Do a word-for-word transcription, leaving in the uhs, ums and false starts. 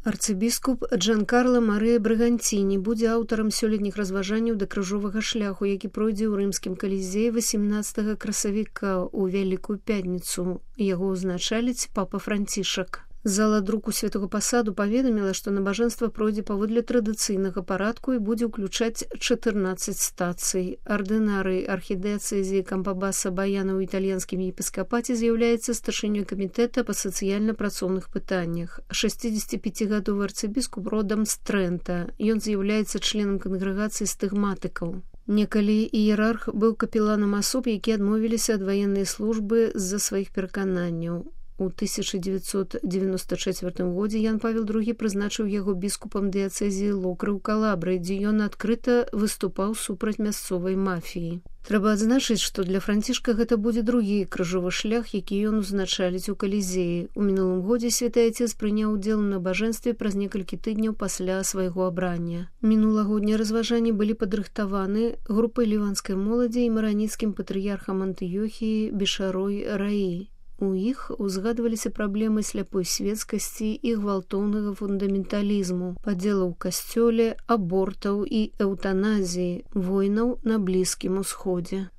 Арцыбіскуп Джанкарло Марыя Брагантіні будзе аўтарам сёлетніх разважанняў да крыжовага шляху, які пройдзе ў рымскім калізеі васемнаццатага красавіка ў Вялікую пятніцу. Яго ўзначаліць папа Францішак. Зала друку Святого Пасаду паведаміла, што набажэнства пройдзе паводле традыцыйнага парадку і будзе ўключаць чатырнаццаць стацый. Ардынарый архідыяцэзіі Кампабаса Баяна ў італьянскім епіскапаце з'яўляецца старшынёй камітэта па сацыяльна-працоўных пытаннях. шэсцідзесяціпяцігадовы арцыбіскуп родам з Трэнта. Ён з'яўляецца членам кангрэгацыі стыгматыкаў. Некалі іерарх быў капеланам асоб, якія адмовіліся ад ваеннай службы з-за сваіх перакананняў. У тысяча дзевяцьсот дзевяноста чацвёртым годзе Ян Павел другі прызначыў яго біскупам дыяцэзіі Локры ў Калабры, дзе ён адкрыта выступаў супраць мясцовай мафіі. Трэба адзначыць, што для Францішка гэта будзе другі крыжовы шлях, які ён узначаліць у Калізеі. У мінулым годзе святы айцец прыняў удзел у набажэнстве праз некалькі тыдняў пасля свайго абрання. Мінулагоднія разважанні былі падрыхтаваны групай ліванскай моладзі і мараніцкім патрыярхам Антыёхіі Бешарой Раі. У іх узгадваліся праблемы сляпой светскасці і гвалтоўнага фундаменталізму, падзелаў у касцёле, абортаў і эўтаназіі, войнаў на Блізкім Усходзе.